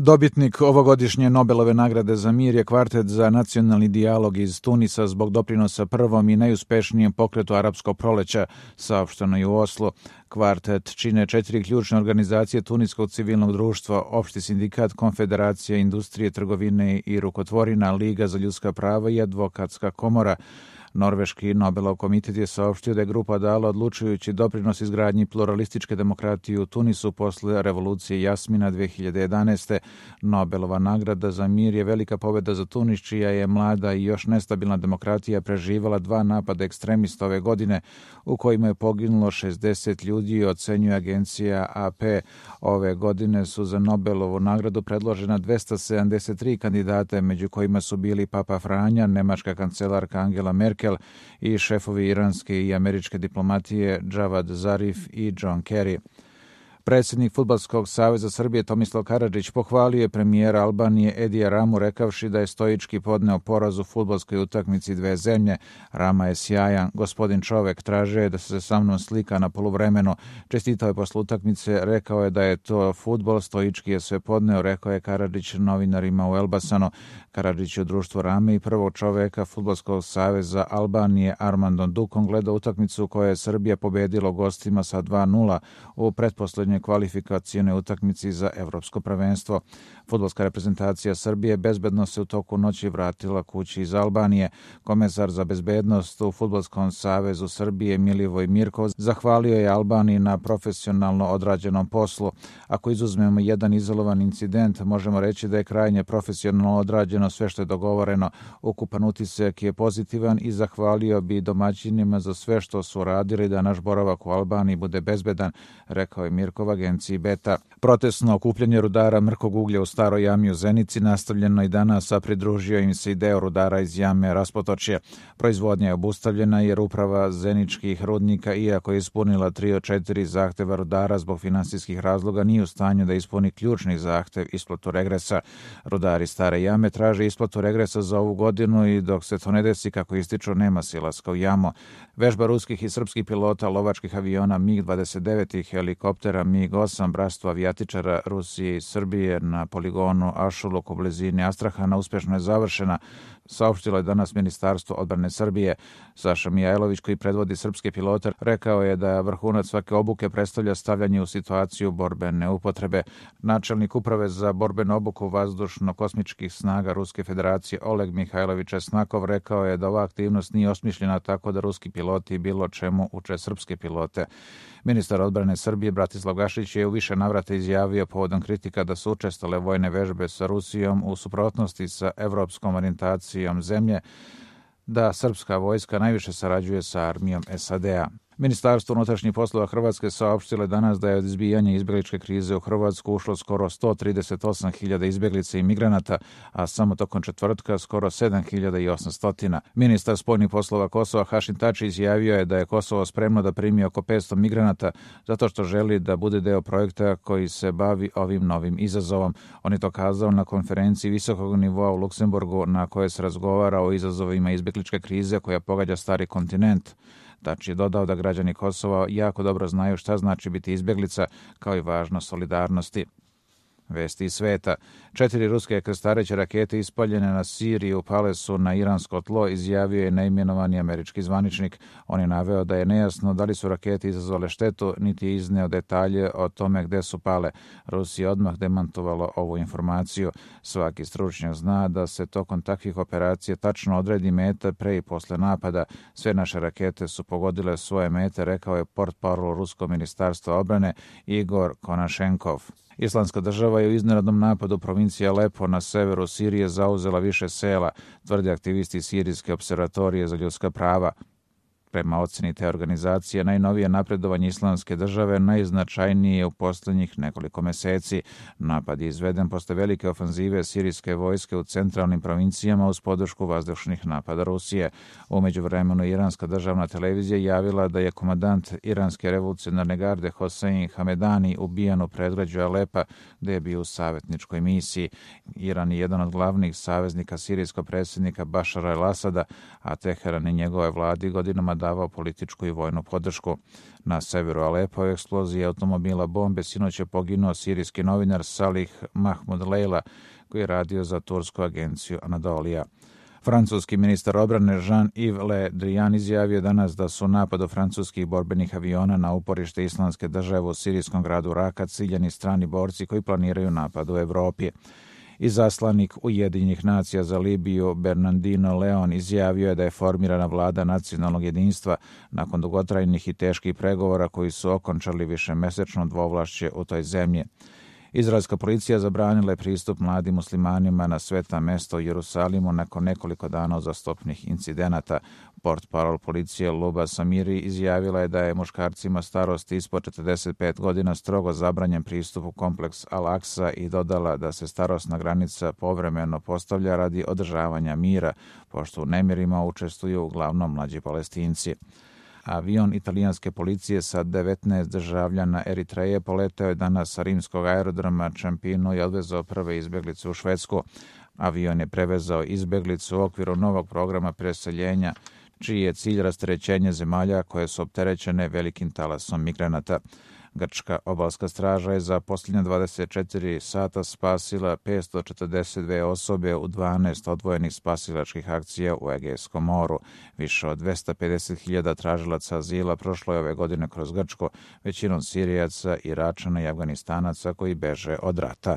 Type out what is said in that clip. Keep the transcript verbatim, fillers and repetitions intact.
Dobitnik ovogodišnje Nobelove nagrade za mir je kvartet za nacionalni dijalog iz Tunisa zbog doprinosa prvom i najuspešnijem pokretu arapskog proleća, saopšteno je u Oslu. Kvartet čine četiri ključne organizacije tuniskog civilnog društva, Opšti sindikat, Konfederacija industrije, trgovine i rukotvorina, Liga za ljudska prava i Advokatska komora. Norveški Nobelov komitet je saopštio da je grupa dala odlučujući doprinos izgradnji pluralističke demokratije u Tunisu posle revolucije Jasmina dve hiljade jedanaeste. Nobelova nagrada za mir je velika pobjeda za Tunis, čija je mlada i još nestabilna demokratija preživala dva napada ekstremista ove godine, u kojima je poginulo šezdeset ljudi, ocenjuje agencija A P. Ove godine su za Nobelovu nagradu predložena dvesta sedamdeset tri kandidate, među kojima su bili Papa Franja, nemačka kancelarka Angela Merkel i šefovi iranske i američke diplomatije Javad Zarif i John Kerry. Predsjednik Fudbalskog saveza Srbije Tomislav Karadžić pohvalio je premijera Albanije Edija Ramu rekavši da je stoički podneo poraz u fudbalskoj utakmici dve zemlje. Rama je sjajan, gospodin čovek, tražio je da se sa mnom slika na poluvremenu. Čestitao je posle utakmice, rekao je da je to fudbal, stoički je sve podneo, rekao je Karadžić novinarima u Elbasanu. Karadžić je u društvu Rame i prvog čoveka Fudbalskog saveza Albanije Armandom Dukom gledao utakmicu koja je Srbija pobedila gostima sa dva nula u pretposlednjoj kvalifikacijnoj utakmici za evropsko prvenstvo. Fudbalska reprezentacija Srbije bezbedno se u toku noći vratila kući iz Albanije. Komesar za bezbednost u Fudbalskom savezu Srbije Milivoj Mirkov zahvalio je Albaniji na profesionalno odrađenom poslu. Ako izuzmemo jedan izolovan incident, možemo reći da je krajnje profesionalno odrađeno sve što je dogovoreno. Ukupan utisak je pozitivan i zahvalio bi domaćinima za sve što su radili da naš boravak u Albaniji bude bezbedan, rekao je Mirkov agenciji Beta. Protestno okupljanje rudara mrkog uglja u Staroj jami u Zenici nastavljeno i danas, a pridružio im se i deo rudara iz jame Raspotočje. Proizvodnja je obustavljena jer uprava zeničkih rudnika, iako je ispunila tri od četiri zahteva rudara zbog finansijskih razloga, nije u stanju da ispuni ključni zahtev isplatu regresa. Rudari Stare jame traže isplatu regresa za ovu godinu i dok se to ne desi, kako ističu, nema silaska u jamu. Vežba ruskih i srpskih pilota lovačkih aviona MiG dvadeset devet i helikoptera MiG osam bratstva avijatičara Rusije i Srbije na poligonu Ašuluk u blizini Astrahana uspešno je završena, saopštilo je danas Ministarstvo odbrane Srbije. Saša Mijajlović, koji predvodi srpske pilote, rekao je da vrhunac svake obuke predstavlja stavljanje u situaciju borbene upotrebe. Načelnik uprave za borbenu obuku vazdušno-kosmičkih snaga Ruske federacije Oleg Mihajlović Česnakov rekao je da ova aktivnost nije osmišljena tako da ruski piloti bilo čemu uče srpske pilote. Ministar odbrane Srbije Bratislav Gašić je u više navrata izjavio povodom kritika da su učestale vojne vežbe sa Rusijom u suprotnosti sa evropskom orijentacijom zemlje, da srpska vojska najviše sarađuje sa armijom S A D-a. Ministarstvo unutrašnjih poslova Hrvatske saopštilo je danas da je od izbijanja izbjegličke krize u Hrvatsku ušlo skoro sto trideset osam hiljada izbjeglica i migranata, a samo tokom četvrtka skoro sedam hiljada osamsto. Ministar spoljnih poslova Kosova Hašim Tači izjavio je da je Kosovo spremno da primi oko petsto migranata zato što želi da bude deo projekta koji se bavi ovim novim izazovom. On je to kazao na konferenciji visokog nivoa u Luksemburgu na kojoj se razgovara o izazovima izbjegličke krize koja pogađa stari kontinent. Tači je dodao da građani Kosova jako dobro znaju šta znači biti izbjeglica, kao i važnost solidarnosti. Vesti iz sveta. Četiri ruske krstareće rakete ispaljene na Siriju pale su na iransko tlo, izjavio je neimenovani američki zvaničnik. On je naveo da je nejasno da li su rakete izazvale štetu, niti je izneo detalje o tome gde su pale. Rusija odmah demantovala ovu informaciju. Svaki stručnjak zna da se tokom takvih operacija tačno odredi meta pre i posle napada. Sve naše rakete su pogodile svoje mete, rekao je portparol Ruskog ministarstva odbrane Igor Konašenkov. Islamska država je u iznenadnom napadu provincije Alepo na severu Sirije zauzela više sela, tvrde aktivisti Sirijske observatorije za ljudska prava. Prema oceni te organizacije, najnovije napredovanje Islamske države najznačajnije u posljednjih nekoliko meseci. Napad je izveden posle velike ofanzive sirijske vojske u centralnim provincijama uz podršku vazdušnih napada Rusije. U međuvremenu iranska državna televizija javila da je komandant iranske revolucionarne garde Hosein Hamedani ubijan u predgrađu Alepa, gde je bio u savjetničkoj misiji. Iran je jedan od glavnih saveznika sirijskog predsjednika Bašara el-Asada, a Teheran i njegove vladi godinama davao političku i vojnu podršku. Na severu Alepa u eksploziji automobila bombe sinoć je poginuo sirijski novinar Salih Mahmud Leila, koji je radio za tursku agenciju Anadolija. Francuski ministar odbrane Jean-Yves Le Drian izjavio danas da su napad francuskih borbenih aviona na uporište Islamske države u sirijskom gradu Raka ciljani strani borci koji planiraju napad u Evropi. Izaslanik Ujedinjenih nacija za Libiju Bernardino Leon izjavio je da je formirana vlada nacionalnog jedinstva nakon dugotrajnih i teških pregovora koji su okončali višemesečno dvovlašće u toj zemlji. Izraelska policija zabranila je pristup mladim muslimanima na sveta mesta u Jerusalimu nakon nekoliko dana uzastopnih incidenata. Portparol policije Luba Samiri izjavila je da je muškarcima starosti ispod četrdeset pet godina strogo zabranjen pristup u kompleks Al-Aqsa i dodala da se starosna granica povremeno postavlja radi održavanja mira, pošto u nemirima učestvuju uglavnom mlađi Palestinci. Avion italijanske policije sa devetnaest državljana Eritreje poleteo je danas sa rimskog aerodroma Čampinu i odvezao prve izbeglice u Švedsku. Avion je prevezao izbeglicu u okviru novog programa preseljenja, čiji je cilj rasterećenje zemalja koje su opterećene velikim talasom migranata. Grčka obalska straža je za posljednje dvadeset četiri sata spasila petsto četrdeset dve osobe u dvanaest odvojenih spasilačkih akcija u Egejskom moru. Više od dvesta pedeset hiljada tražilaca azila prošlo je ove godine kroz Grčko, većinom Sirijaca, Iračana i Afganistanaca koji beže od rata.